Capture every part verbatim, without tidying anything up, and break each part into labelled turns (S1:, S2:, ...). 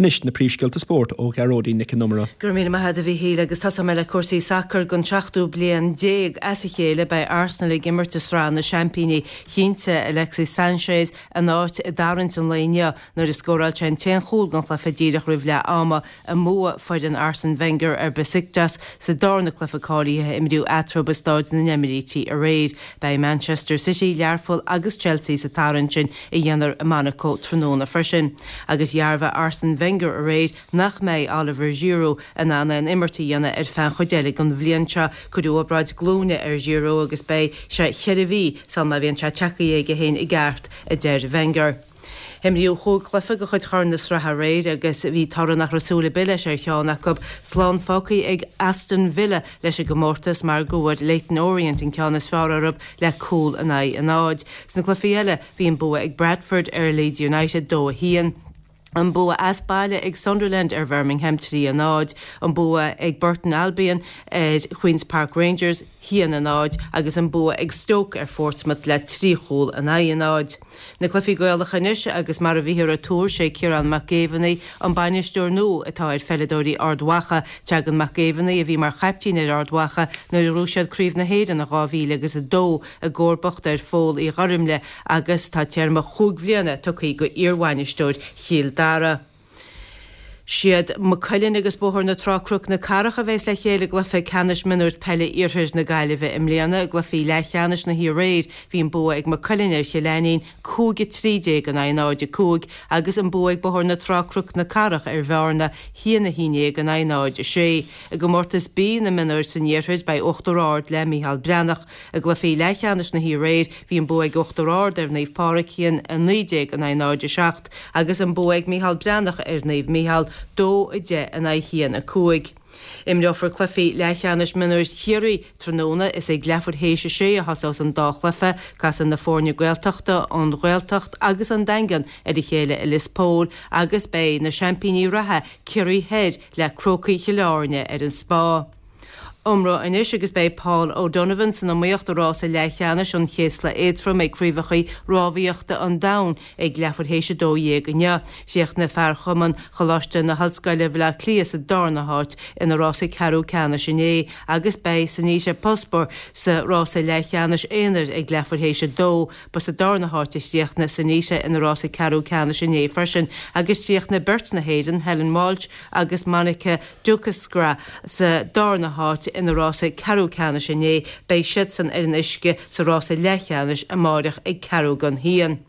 S1: Anois na príomhscéalta spóirt ó Ghearóidín Nic an Iomaire.
S2: Go raibh míle maith agat a Mhíchíl agus tosóidh mé le cúrsaí sacair don seachtú bliain déag as a chéile beidh Arsenal ag imirt i Sraith na Seaimpíní. Chinntigh Alexis Sanchez a n-áit i dtarraingt an lae inniu nuair a scóráil sé an t-aon chúl den chluiche díreach roimh leath ama i mbua foireann Arsene Wenger ar Besiktas sa darna cluiche cáilithe a imríodh eatarthu i Staid na nEimírítí aréir. Beidh Manchester City, Learpholl agus Chelsea sa tarraingt sin a dhéanfar i Monaco tráthnóna freisin. Agus dhearbhaigh Arsene Wenger aréir nach mbeidh Oliver Giroud in ann aon imirt a dhéanamh ar feadh an chuid eile den bhliain seo. Cuireadh obráid glúine ar Giroud agus beidh sé cheithre mhí sula má bhíonn sé tagtha aige féin i gceart, a deir Wenger. Imríodh cúig chluiche de chuid Chorn na Sraithe aréir agus bhí toradh nach raibh súil ar bith leis ar cheann acu. Slán fágtha ag Aston Villa leis an gcomórtas mar go bhfuair Leyton Orient an ceann is fearr orthu le cúl in aghaidh a náid. Sna cluichí eile, bhí an bua ag Bradford ar Leeds United dó a haon. An bua as baile ag Sunderland ar Bhirmingham trí a náid, an bua ag Burton Albion ar Queen's Park Rangers haon a náid agus an bua ag Stoke ar Portsmouth le trí chúl in aghaidh a náid. Na cluichí Gaelacha anois agus mar a bhíothar ag tuar sé Ciarán Mac Géibheannaigh an bainisteoir nua atá ar pheileadóirí Ard Mhacha. Teagann Mac Géibheannaigh a bhí mar chaiptín ar Ard Mhacha nuair a ghnóthaigh siad Craobh na hÉireann in dhá mhíle agus a dó i gcomharbacht ar Phól Uí Ghoirmle agus tá téarma chúig bhliana tugtha go iarbhainisteoir Chill Dara. Siad Maigh Cuilinn agus Bóthar na Trá Cnoc na Cathrach a bheas le chéile i gcluiche ceannais mionúir peile Iarthar na Gaillimhe i mbliana. I gcluichí leathcheannais na hoíche aréir bhí an bua ag Maigh Cuilinn ar Chill Ainnín cúig a trí déag in aghaidh náid a cúig agus an bua ag Bóthar na Trá Cnoc na Cathrach ar Bhearna haon a haon déag in aghaidh náid a sé. I gcomórtas B na mionúir san Iarthar beidh Uachtar Ard le Micheál Breathnach. I gcluichí leathcheannais na hoíche aréir bhí an bua ag Uachtar Ard ar Naomh Pádraig haon a naoi déag in aghaidh náid a seacht agus an bua ag Micheál Breathnach ar Naomh Micheál dó a deich in aghaidh haon a cúig. Imreofar cluichí leathcheannais mionúir Chiarraí tráthnóna. Is ag leathuair théis a sé a thosós an dá chluiche. Casfaidh na foirne Gaeltachta, an Ghaeltacht agus an Daingean ar a chéile i Lios Póil agus beidh na seaimpíní reatha, Ciarraí Thoir, le Crócaigh Chill Airne ar an Spá. Iomramh anois agus beidh Paul O'Donovan san iomaíocht i rása leathcheannais an chéasla éadtroim ag Craobhacha Rámhaíochta an Domhain ag leathuair théis a dó dhéag inniu. Chríochnaigh fear Chumann Choláiste na hOllscoile Bhaile Átha Cliath sa darna háit ina rása ceathrú ceannais inné agus beidh Sanita Puspure sa rása leathcheannais aonair ag leathuair théis a dó. Ba sa darna háit a chríochnaigh Sanita ina rása ceathrú ceannais inné freisin agus chríochnaigh beirt na hÉireann, Helen Walsh agus Monica Dukeskra sa darna háit ina rása ceathrú ceannais inné. Beidh siadsan ar an uisce sa rása leathcheannais amáireach ag ceathrú don haon.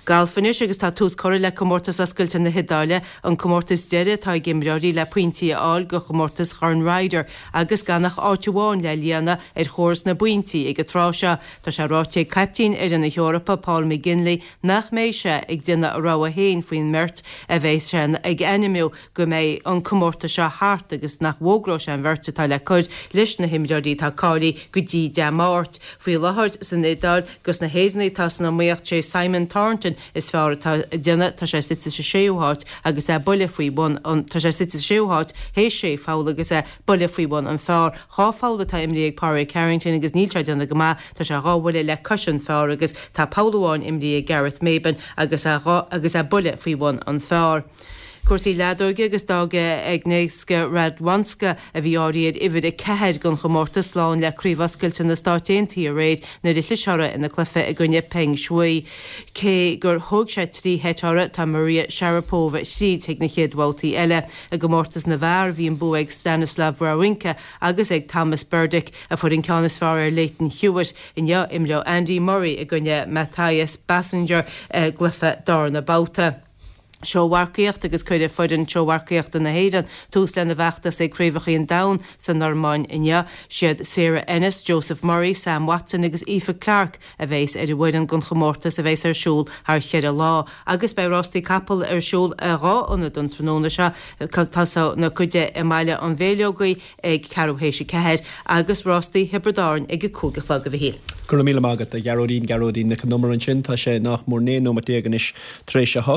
S2: Galf anois agus tá tús curtha le Comórtas Oscailte na hIodáile, an comórtas deiridh atá ag imreoirí le pointí a fháil do chomórtas Chorn Ryder agus gan ach áit amháin le líonadh ar chóras na bpointí ag an tráth seo. Tá sé ráite ag caiptín fhoireann na hEorpa, Paul McGinley, nach mbeidh sé ag déanamh a rogha féin faoin mbeirt a bheidh sé ag ainmniú go mbeidh an comórtas seo thart agus nach bhfógróidh sé an bheirt atá le cur leis na himreoirí atá cáilithe go dtí Dé Máirt. Faoi láthair san Iodáil dos na hÉireannaigh atá san iomaíocht sé Simon Thornton is fearr atá ag déanamh, tá sé suite sa séú háit agus é buille faoi bhun an tá sé suite sa séú háit théis sé pholl agus é buille faoi bhun an phar. Dhá pholl atá imrithe ag Pádraig Harrington agus níl sé ag déanamh go maith, tá sé dhá bhuille le cois an phar agus tá poll amháin imrithe ag Gareth Maben agus é dhá agus é buille faoi bhun an phar. Cúrsaí leadóige agus d'fhág Agnieszka Radwanska, a bhí áirithe ar uimhir a ceathair don chomórtas, slán le Craobh Oscailte na Stáit Aontaithe aréir nuair a chlis orthu ina cluiche i gcoinne Peng Shuai. Cé gur thóg sé trí sheit orthu, tá Maria Sharapova tríd chuig na chéad bhabhtaí eile. I gcomórtas na bhfear, bhí an bua ag Stanislav Wawrinka agus ag Tomas Berdych, a fuair an ceann is fearr ar Lleyton Hewitt. Inniu, imreoidh Andy Murray i gcoinne Matthias Basinger i gcluiche darna babhta. Seómharcaíocht agus cuirfidh foireann seómharcaíochta na hÉireann tús lena bhfeachtas ag Craobhacha an Domhain sa Normainn inniu. Siad Sarah Ennis, Joseph Murray, Sam Watson agus Aoife Clarke a bheas ar an bhfoireann don chomórtas a bheas ar siúl thar cheithre lá. Agus beidh rástaí capall ar siúl i dhá ionad an tráthnóna seo. Tosóidh na cuid i mBaile an Mhéirleogaigh ag ceathrú théis a ceathair agus rástaí Thiobraid Árann ag a cúig a chlog, a Mhichíl.
S1: Go raibh míle maith agat, a Ghearóidín, Gearóidín Nic an Iomaire ansin. Tá sé nach mór naoi nóiméad déag anois tar éis a hocht.